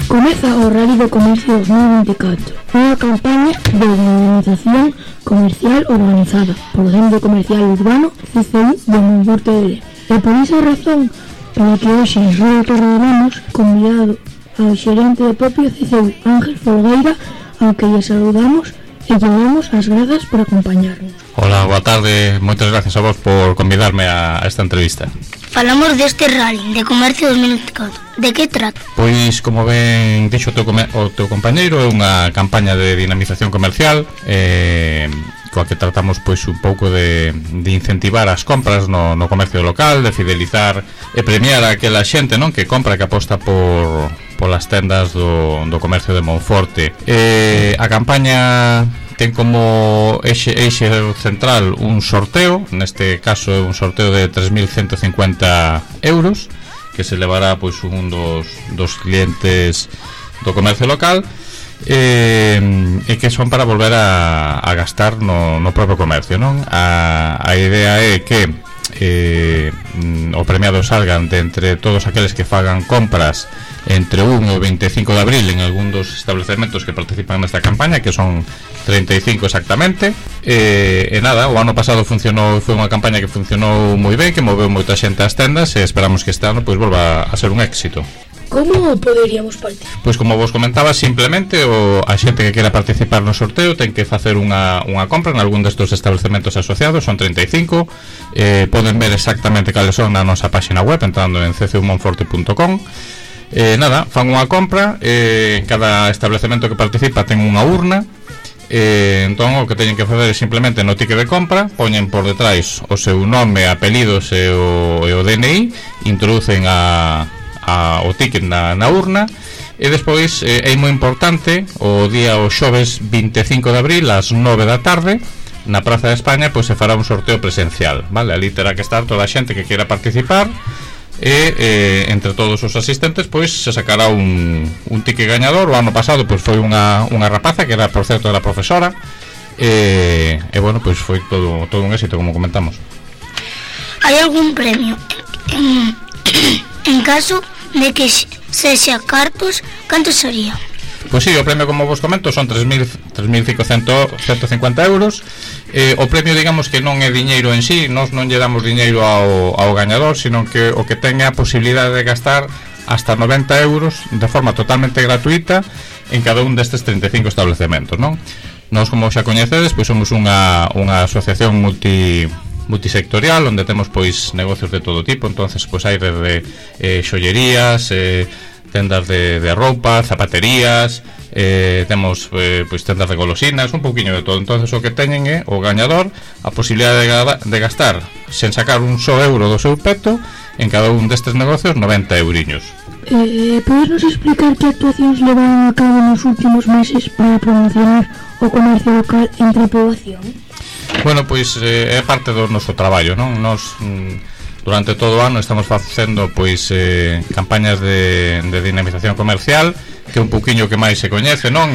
Comeza o Rally do Comercio 2024, unha campaña de dinamización comercial organizada polo Centro Comercial Urbano CCU de Monforte de Lemos. E por esa razón, polo que hoxe en Radio Torredonamos, convidado ao xerente de propio CCU, Ángel Folgueira, ao que lle saludamos e lle damos as grazas por acompañarnos. Hola, boa tarde, moitas gracias a vos por convidarme a esta entrevista. Falamos deste Rally de Comercio 2024. De que trata? Pois, como ben dixo o teu compañeiro, é unha campaña de dinamización comercial coa que tratamos pois un pouco de incentivar as compras no comercio local, de fidelizar e premiar a aquela xente, non, que compra, que aposta polas tendas do comercio de Monforte. A campaña ten como eixe central un sorteo, neste caso é un sorteo de 3.150 euros, que se levará pois un dos clientes do comercio local, e que son para volver a gastar no propio comercio, non? A idea é que o premiado salgan de entre todos aqueles que fagan compras entre 1 e 25 de abril en algún dos establecementos que participan nesta campaña, que son 35 exactamente. E nada, o ano pasado foi unha campaña que funcionou moi ben, que moveu moita xente ás tendas, e esperamos que este ano pois volva a ser un éxito. Como poderíamos participar? Pois como vos comentaba, simplemente a xente que quera participar no sorteo ten que facer unha compra en algún destes establecementos asociados, son 35. Poden ver exactamente cales son na nosa página web entrando en ccumonforte.com. Nada, fan unha compra, cada establecemento que participa ten unha urna. Entón o que teñen que facer é simplemente no ticket de compra poñen por detrás o seu nome, apelidos e o DNI, introducen o ticket na urna, e despois é moi importante o xoves 25 de abril ás 9 da tarde na Praza de España pois se fará un sorteo presencial, vale? Ali terá que estar toda a xente que queira participar, e entre todos os asistentes pois se sacará un ticket gañador. O ano pasado pois foi unha rapaza que era, por certo, era profesora, e bueno, pois foi todo un éxito, como comentamos. Hai algún premio en caso de que sexa cartos? Canto sería? Pois sí, o premio, como vos comento, son 3.150 euros. O premio, digamos que non é diñeiro en sí, nós non lle damos diñeiro ao gañador, sino que o que ten é a posibilidade de gastar hasta 90 euros de forma totalmente gratuita en cada un destes 35 establecementos, non? Nós, como xa coñecedes, pois somos unha asociación multisectorial onde temos pois negocios de todo tipo. Entonces pois hai desde xollerías, tendas de roupa, zapaterías, temos pois tendas de golosinas, un pouquiño de todo. Entonces o que teñen é o gañador a posibilidade de gastar sen sacar un só euro do seu peto en cada un destes negocios 90 euriños. Podes nos explicar que actuacións levaron a cabo nos últimos meses para promocionar o comercio local entre a poboación? Bueno, pois é parte do noso traballo, non? Nos durante todo o ano estamos facendo pois campañas de dinamización comercial, que é un pouquiño que máis se coñece, non?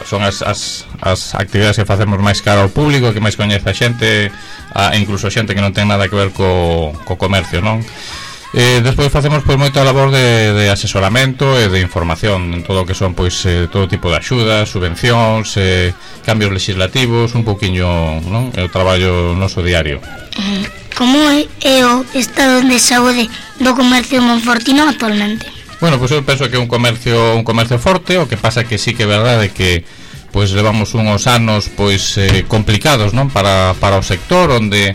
Son as actividades que facemos máis cara ao público, que máis coñece a xente, incluso a xente que non ten nada que ver co comercio, non? Despois facemos pois moita labor de asesoramento e de información en todo o que son pois todo tipo de axudas, subvencións, cambios legislativos, un pouquiño, non? É o traballo noso diario. Como é o estado de saúde do comercio monfortino actualmente? Bueno, pois eu penso que é un comercio forte. O que pasa é que sí que é verdade que pois levamos uns anos pois complicados, non? Para o sector, onde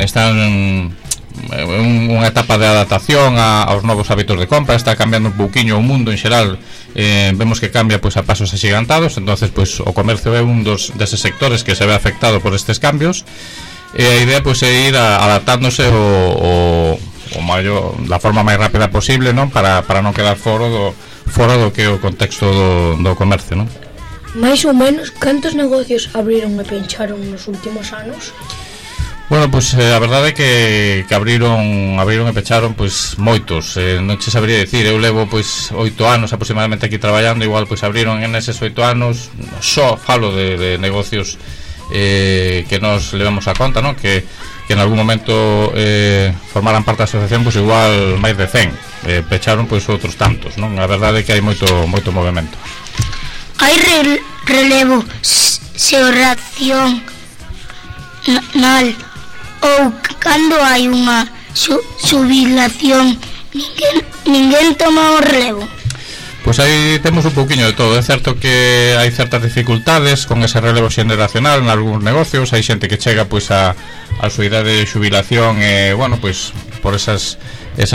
están unha etapa de adaptación aos novos hábitos de compra. Está cambiando un pouquiño o mundo en xeral, vemos que cambia pois a pasos axigantados. Entonces pois o comercio é un deses sectores que se ve afectado por estes cambios, e a idea pois é ir adaptándose da forma máis rápida posible, non? Para non quedar fora do que é o contexto do comercio, non? Mais ou menos, cantos negocios abriron e pencharon nos últimos anos? Bueno, pois a verdade é que abriron e pecharon pois moitos, non che sabría dicir. Eu levo pois 8 anos aproximadamente aquí traballando, igual pois abriron en eses 8 anos, só falo de negocios que nos levemos a conta, non? Que en algún momento formaran parte da asociación, pois igual máis de 100, pecharon pois outros tantos, non? A verdade é que hai moito movemento. Hai relevo xeracional ou cando hai unha xubilación ninguén toma o relevo? Pois aí temos un pouquiño de todo. É certo que hai certas dificultades con ese relevo xeneracional en algúns negocios. Hai xente que chega pois a súa idade de xubilación e, bueno, pois por esa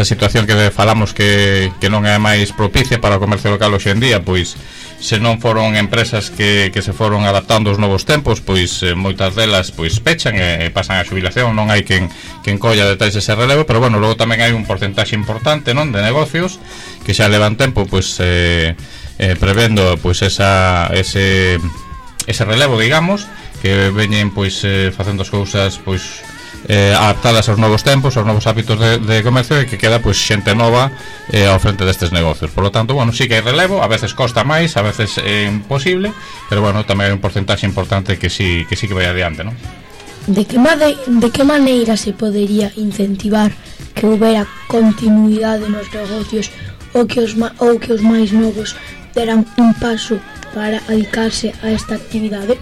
situación que falamos que non é máis propicia para o comercio local hoxe en día, pois se non foron empresas que se foron adaptando aos novos tempos, pois moitas delas pois pechan e pasan a xubilación, non hai quen colla detais ese relevo, pero bueno, logo tamén hai un porcentaxe importante, non, de negocios que xa levan tempo pois prevendo pois ese relevo, digamos, que veñen pois facendo as cousas pois adaptadas aos novos tempos, aos novos hábitos de comercio, e que queda pois xente nova ao frente destes negocios. Por lo tanto, bueno, sí que hai relevo, a veces costa máis, a veces é imposible, pero bueno, tamén hai un porcentaxe importante que sí que vai adiante, non? De que maneira se podería incentivar que houbera continuidade nos negocios ou que os máis novos deran un paso para dedicarse a esta actividade?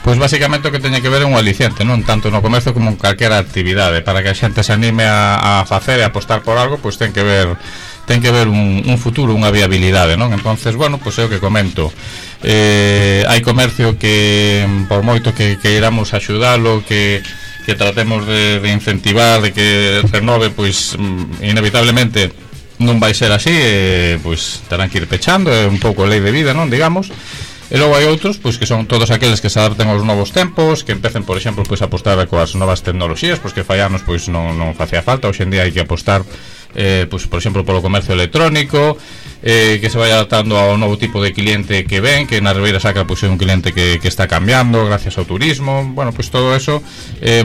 Pois basicamente o que teñe que ver é un aliciente, non? Tanto no comercio como en calquera actividade. Para que a xente se anime a facer e apostar por algo, pois ten que ver un futuro, unha viabilidade, non? Entonces, bueno, pois é o que comento. Hai comercio que, por moito que iramos axudalo, que tratemos de incentivar, de que renove, pois inevitablemente non vai ser así, pois terán que ir pechando, é un pouco lei de vida, non? Digamos. E logo hai outros, pois que son todos aqueles que se adapten aos novos tempos, que empecen, por exemplo, pois a apostar coas novas tecnoloxías, pois que fai anos pois non facía falta, hoxe en día hai que apostar pois, por exemplo, polo comercio electrónico, que se vai adaptando ao novo tipo de cliente que ven, que na Ribeira Sacra pois é un cliente que está cambiando gracias ao turismo. Bueno, pois todo eso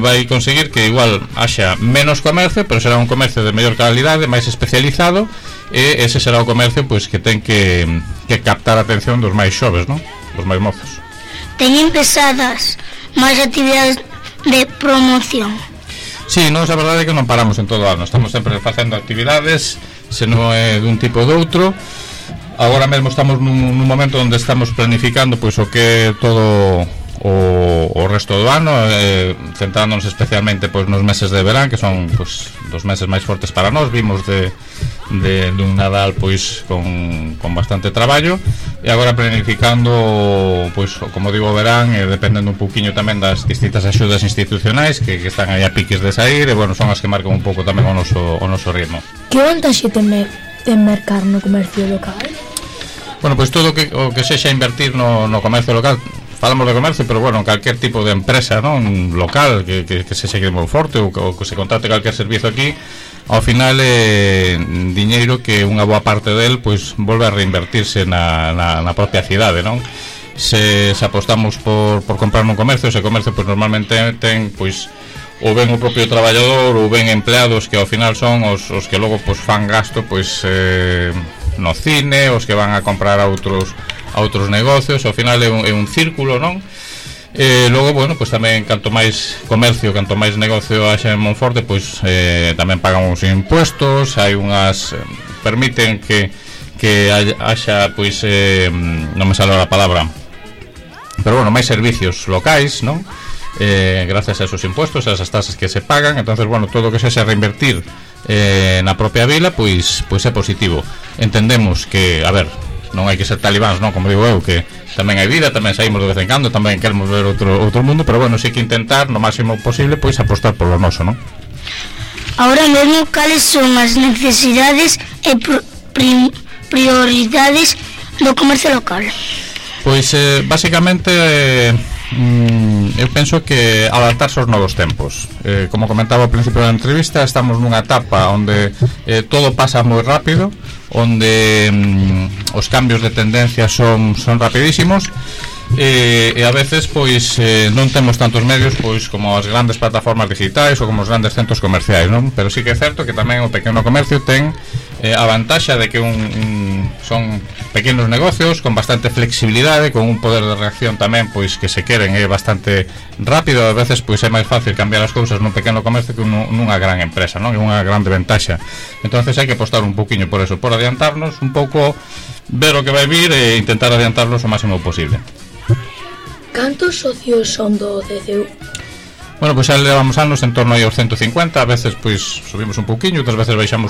vai conseguir que igual haxa menos comercio, pero será un comercio de mellor calidade, máis especializado, e ese será o comercio pois que ten que captar a atención dos máis xoves, non? Dos máis mozos. Teñen pesadas máis actividades de promoción? Sí, nós a verdade é que non paramos en todo o ano. Estamos sempre facendo actividades, se non é dun tipo ou doutro. Agora mesmo estamos nun momento onde estamos planificando pois o que é todo o resto do ano, centrándonos especialmente pois nos meses de verán, que son pois dos meses máis fortes para nós. Vimos dun Nadal pois con bastante traballo, e agora planificando pois, como digo, o verán, e dependendo un pouquiño tamén das distintas axudas institucionais que están aí a piques de sair, e bueno, son as que marcan un pouco tamén o noso ritmo. Que vantaxe ten mercar no comercio local? Bueno, pois todo o que sexa invertir no comercio local. Falamos de comercio, pero bueno, calquer tipo de empresa, non, local, que se segue moi forte, ou que se contrate calquer servizo aquí, ao final é diñeiro que unha boa parte del pois volve a reinvertirse na propia cidade, non? Se apostamos por comprar nun comercio, ese comercio pois normalmente ten pois ou ben o propio traballador ou ben empleados que ao final son os que logo pois fan gasto pois no cine, os que van a comprar a outros negocios. Ao final é un círculo, non? Logo, bueno, pois tamén canto máis comercio, canto máis negocio haxa en Monforte, pois tamén pagan os impuestos, hai unhas permiten que haxa pois non me sale a palabra, pero bueno, máis servicios locais, non? Gracias a esos impuestos, a esas tasas que se pagan. Entonces, bueno, todo o que se reinvertir na propia vila, pois é positivo. Entendemos que, a ver, non hai que ser talibáns, non? Como digo eu, que tamén hai vida, tamén saímos de vez en cando, tamén queremos ver outro mundo, pero bueno, sí que intentar no máximo posible pois apostar por lo noso, non? Ahora mesmo, cales son as necesidades e prioridades do comercio local? Pois basicamente eu penso que adaptarse aos novos tempos. Como comentaba ao principio da entrevista, estamos nunha etapa onde todo pasa moi rápido, onde os cambios de tendencia son rapidísimos, e a veces pois non temos tantos medios pois como as grandes plataformas digitais ou como os grandes centros comerciais, non? Pero sí que é certo que tamén o pequeno comercio ten a vantaxa de que son pequenos negocios con bastante flexibilidade, con un poder de reacción tamén pois que se queren é bastante rápido. A veces pois é máis fácil cambiar as cousas nun pequeno comercio que nunha gran empresa, non? É unha grande ventaxa. Entonces hai que apostar un poquinho por eso, por adiantarnos un pouco, ver o que vai vir e intentar adiantarnos o máximo posible. Cantos socios son do CCU? Bueno, pois xa levamos anos en torno aí aos 150, a veces pois subimos un pouquiño, outras veces baixamos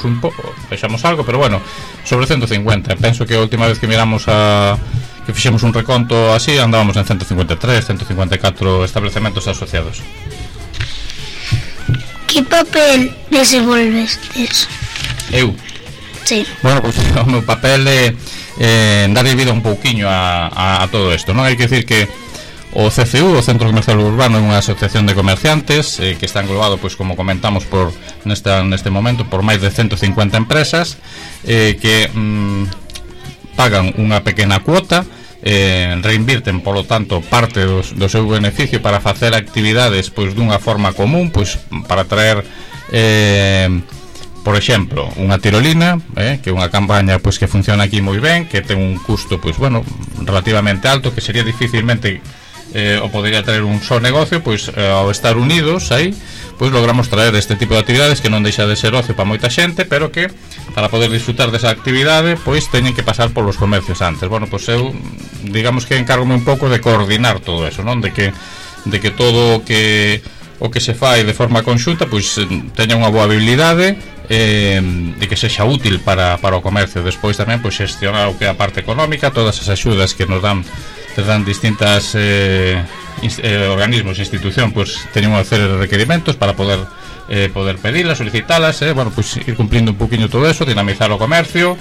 algo, pero bueno, sobre 150. Penso que a última vez que miramos que fixemos un reconto así, andábamos en 153, 154 establecementos asociados. Que papel desenvolvestes? Eu? Sí. Bueno, pois o meu papel é darlle vida un pouquiño a todo isto, non? Hai que decir que o CCU, o Centro Comercial Urbano, é unha asociación de comerciantes que está englobado, pois como comentamos, neste momento por máis de 150 empresas que pagan unha pequena cuota, reinvirten, polo tanto, parte do seu beneficio para facer actividades pois dunha forma común, pois para traer por exemplo, unha tirolina, que é unha campaña pois que funciona aquí moi ben, que ten un custo pois bueno, relativamente alto, que sería dificilmente o podría traer un só negocio, pois ao estar unidos aí, pois logramos traer este tipo de actividades que non deixa de ser ocio para moita xente, pero que para poder disfrutar desa actividade, pois teñen que pasar polos comercios antes. Bueno, pois eu, digamos que encárgome un pouco de coordinar todo eso, non? De que todo o que se fai de forma conxunta, pois teña unha boa habilidade e que sexa útil para o comercio. Despois tamén pois xestionar o que é a parte económica, todas as axudas que nos dan distintas organismos e institución, pois teñen unha serie de requerimentos para poder pedilas, solicitalas, bueno, pois ir cumplindo un poquinho todo eso, dinamizar o comercio,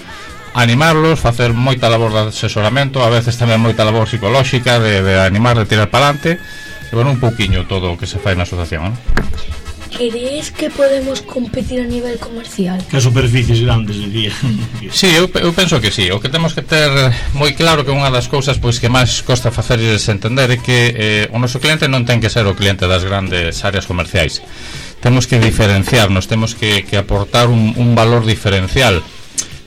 animarlos, facer moita labor de asesoramento, a veces tamén moita labor psicolóxica de animar, de tirar para adelante, e bueno, un poquinho todo o que se fai na asociación, non? Crees que podemos competir a nivel comercial? Que superficies grandes, diría. Sí, eu penso que sí. O que temos que ter moi claro que unha das cousas pois que máis costa facerlles entender é que o noso cliente non ten que ser o cliente das grandes áreas comerciais. Temos que diferenciarnos, temos que aportar un valor diferencial.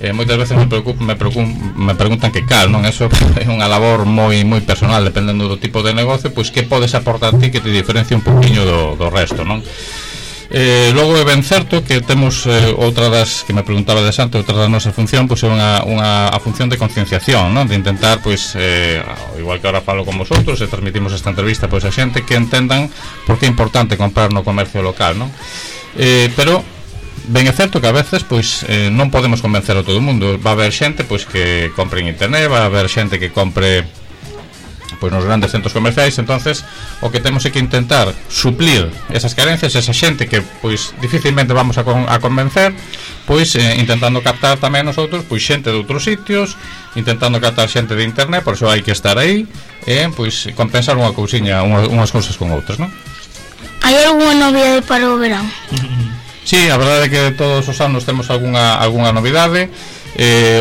Moitas veces me preguntan que cal, non? Eso é unha labor moi personal, dependendo do tipo de negocio, pois que podes aportar ti que te diferencia un poquinho do resto, non? Logo é ben certo que temos outra das que me preguntaba de antes, outra da nosa función, pois é a función de concienciación, non? De intentar, pois, igual que ahora falo con vosotros e transmitimos esta entrevista, pois a xente que entendan por que é importante comprar no comercio local, non? Pero ben é certo que a veces pois non podemos convencer a todo o mundo. Va a haber xente pois que compre en internet, va a haber xente que compre pois nos grandes centros comerciais. Entonces o que temos é que intentar suplir esas carencias, esa xente que pois dificilmente vamos a convencer, pois intentando captar tamén nosotros pois xente de outros sitios, intentando captar xente de internet. Por iso hai que estar aí e pois compensar unha cousiña, unhas cousas con outras, non? Hai algunha novidade para o verán? Sí, a verdade é que todos os anos temos algunha novidade.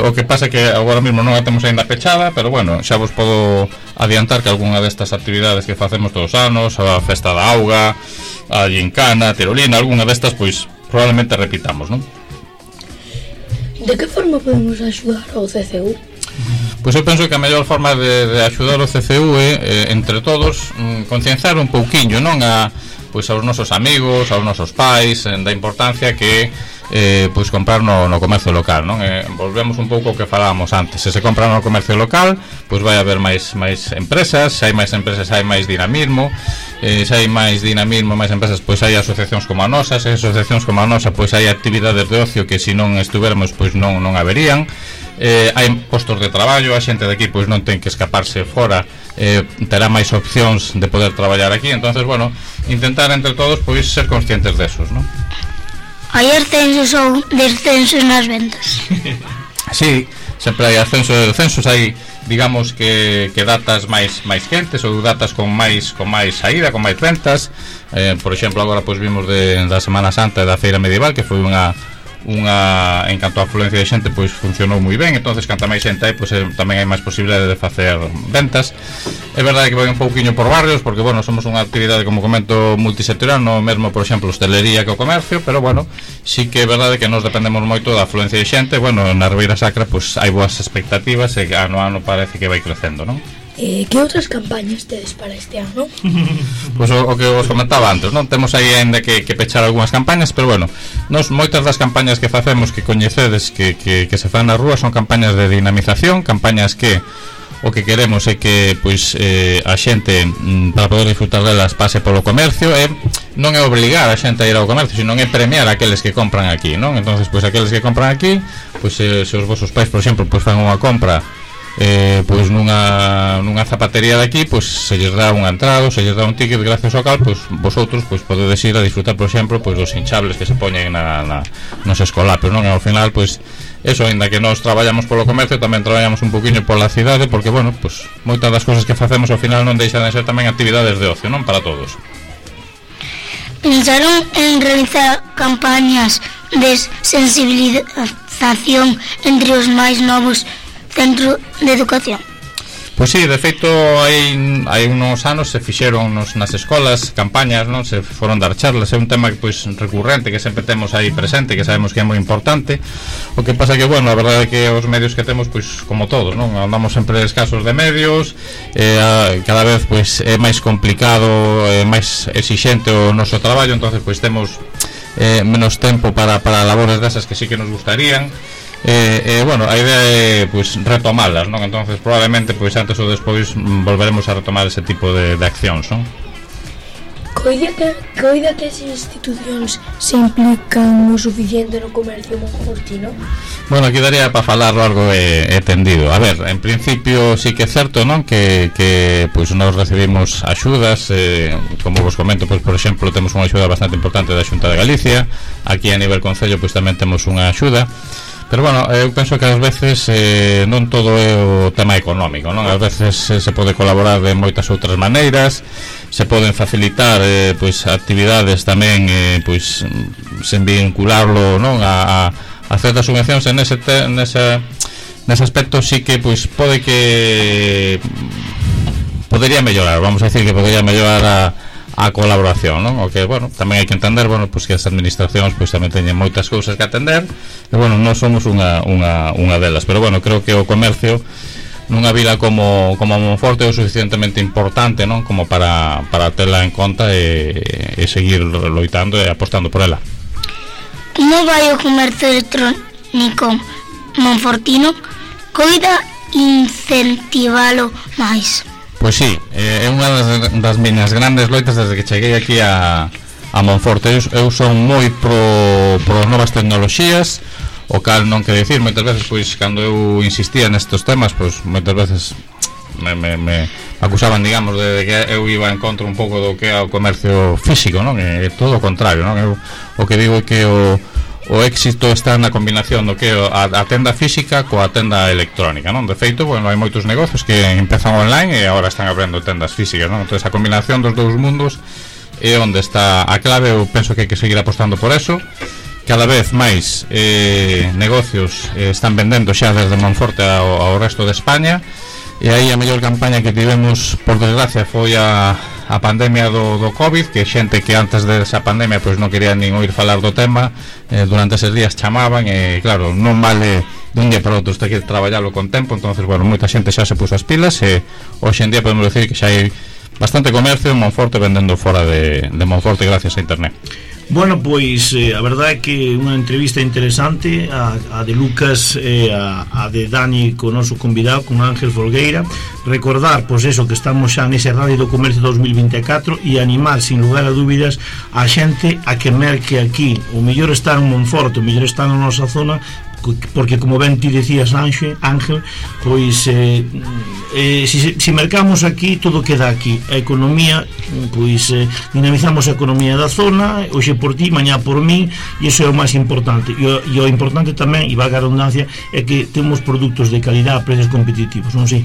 O que pasa é que agora mesmo non a temos ainda pechada, pero bueno, xa vos podo adiantar que algunha destas actividades que facemos todos os anos, a festa da auga, a gincana, a tirolina, algunha destas pois probablemente repitamos, non? De que forma podemos axudar ao CCU? Pois eu penso que a mellor forma de axudar o CCU é entre todos concienciar un pouquiño, non? Pois aos nosos amigos, aos nosos pais, da importancia que pois comprar no comercio local, non? Volvemos un pouco ao que falábamos antes. Se compra no comercio local, pois vai haber máis empresas. Se hai máis empresas, hai máis dinamismo. Se hai máis dinamismo, máis empresas, pois hai asociacións como a nosa. Se hai asociacións como a nosa, pois hai actividades de ocio que se non estuvermos, pois non haberían. Hai postos de traballo, a xente de aquí pois non ten que escaparse fora, terá máis opcións de poder traballar aquí. Entonces, bueno, intentar entre todos pois ser conscientes desos, non? Hai ascensos ou descensos nas ventas? Sí, sempre hai ascensos e descensos. Hai, digamos que datas máis quentes ou datas con máis saída, con máis ventas. Por exemplo, agora pois vimos da Semana Santa e da Feira Medieval, que foi unha en canto a afluencia de xente, pois funcionou moi ben. Entonces, canta máis xente hai, pois tamén hai máis posibilidade de facer ventas. É verdade que vai un pouquiño por barrios, porque, bueno, somos unha actividade, como comento, multisectorial, no mesmo, por exemplo, hostelería que o comercio, pero, bueno, sí que é verdade que nos dependemos moito da afluencia de xente. Bueno, na Ribeira Sacra, pois hai boas expectativas e ano a ano parece que vai crecendo, non? Que outras campañas tedes para este ano? Pois o que vos comentaba antes, non? Temos aí ainda que pechar algunhas campañas, pero bueno, nos moitas das campañas que facemos, que coñecedes, que se fan nas rúas, son campañas de dinamización, campañas que o que queremos é que pois a xente, para poder disfrutar delas, pase polo comercio. E non é obrigar a xente a ir ao comercio, sino é premiar aqueles que compran aquí, non? Entonces, pois aqueles que compran aquí, pois se os vosos pais, por exemplo, pois fan unha compra pois nunha zapatería de aquí, pois se lles dá un entrado, se lles dá un ticket, gracias ao cal, pois vosotros pois podedes ir a disfrutar, por exemplo, pois dos hinchables que se poñen nos escolapios, non? E ao final, pois eso, ainda que nós traballamos polo comercio, tamén traballamos un poquinho pola cidade, porque, bueno, pois moitas das cousas que facemos ao final non deixan de ser tamén actividades de ocio, non? Para todos. Pensaron en realizar campañas de sensibilización entre os máis novos centro de educación? Pois sí, de feito hai uns anos se fixeron nas escolas campañas, non? Se foron dar charlas, é un tema pois recurrente que sempre temos aí presente, que sabemos que é moi importante. O que pasa que, bueno, a verdade é que os medios que temos, pois como todos, non? Andamos sempre escasos de medios, cada vez pois é máis complicado, máis exixente o noso traballo, entonces pois temos menos tempo para labores desas que sí que nos gustarían. Bueno, a idea é pois retomalas, non? Entonces probablemente pois antes ou despois volveremos a retomar ese tipo de accións, non? Coida que as institucións se implican o suficiente no comercio monfortino? Bueno, aquí daría para falar algo tendido. A ver, en principio sí que é certo, non? Que pois nós recibimos axudas, como vos comento, pois por exemplo, temos unha axuda bastante importante da Xunta de Galicia. Aquí a nivel concello pois tamén temos unha axuda. Pero bueno, eu penso que ás veces non todo é o tema económico, non? Ás veces se pode colaborar de moitas outras maneiras, se poden facilitar pois actividades tamén pois sen vincularlo, non? A certas subvencións en nese aspecto sí que pois pode que podería mellorar, vamos a decir que podería mellorar a colaboración, non? O que, bueno, tamén hai que entender, bueno, pois que as administracións pois tamén teñen moitas cousas que atender, e bueno, non somos unha delas, pero bueno, creo que o comercio nunha vila como Monforte é o suficientemente importante, non? Como para tela en conta e seguir loitando e apostando por ela. Como vai o comercio electrónico monfortino? Coida incentivalo máis? Pois sí, é unha das miñas grandes loitas desde que cheguei aquí a Monforte. Eu son moi pro novas tecnoloxías, o cal non quero dicir, moitas veces, pois, cando eu insistía nestes temas, pois, moitas veces me acusaban, digamos, de que eu iba en contra un pouco do que é o comercio físico, non? É todo o contrario, non? Eu o que digo é que o éxito está na combinación do que a tenda física coa tenda electrónica, non? De feito, bueno, hai moitos negocios que empezan online e agora están abrindo tendas físicas, non? Entón, a combinación dos dous mundos é onde está a clave. Eu penso que hai que seguir apostando por eso. Cada vez máis negocios están vendendo xa desde Monforte ao resto de España, e aí a mellor campaña que tivemos, por desgracia, foi a pandemia do COVID, que xente que antes desa pandemia pois non quería nin oír falar do tema, durante eses días chamaban, e claro, non vale dun día para outro, este que traballalo con tempo. Entonces, bueno, moita xente xa se puso as pilas, e hoxe en día podemos decir que xa hai bastante comercio en Monforte vendendo fora de Monforte gracias a internet. Bueno, pois a verdade é que unha entrevista interesante, a de Lucas e a de Dani co noso convidado, con Ángel Folgueira. Recordar, pois eso, que estamos xa nese Radio do Comercio 2024, e animar, sin lugar a dúbidas, a xente a que merque aquí. O mellor está en Monforte, o mellor está na nosa zona, porque como ben ti decías, Ángel, pois se mercamos aquí, todo queda aquí. A economía, pois dinamizamos a economía da zona, hoxe por ti, mañá por min, e iso é o máis importante. E o importante tamén, e valga a redundancia, é que temos produtos de calidad a precios competitivos, non sei?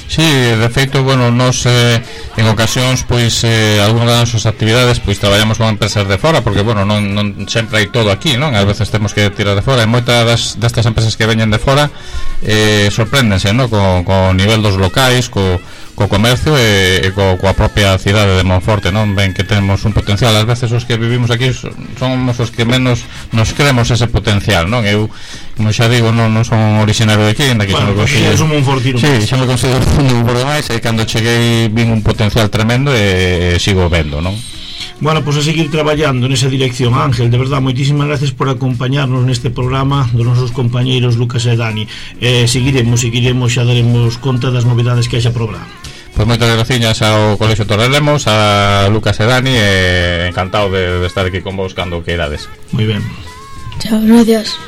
Sí, de feito, bueno, nos en ocasións, pois algunhas das nosas actividades, pois traballamos con empresas de fora, porque, bueno, non sempre hai todo aquí, non? Ás veces temos que tirar de fora, e moitas destas empresas que veñen de fora sorpréndense, non? Co nivel dos locais, co comercio e coa propia cidade de Monforte, non? Ven que temos un potencial. Ás veces os que vivimos aquí somos os que menos nos creemos ese potencial, non? Eu, como xa digo, non son originario de aquí, bueno, pues é un monfortino. Sí, xa me considero un pouco máis, e cando cheguei vin un potencial tremendo e sigo vendo, non? Bueno, pois a seguir traballando nesa dirección. Ángel, de verdad, moitísimas gracias por acompañarnos neste programa dos nosos compañeiros Lucas e Dani. Seguiremos, xa daremos conta das novidades que haxa programa. Pois moitas gracias ao Colexio Torrelemos, a Lucas e Dani, e encantado de estar aquí con vos cando queirades. Moi ben. Chao, gracias.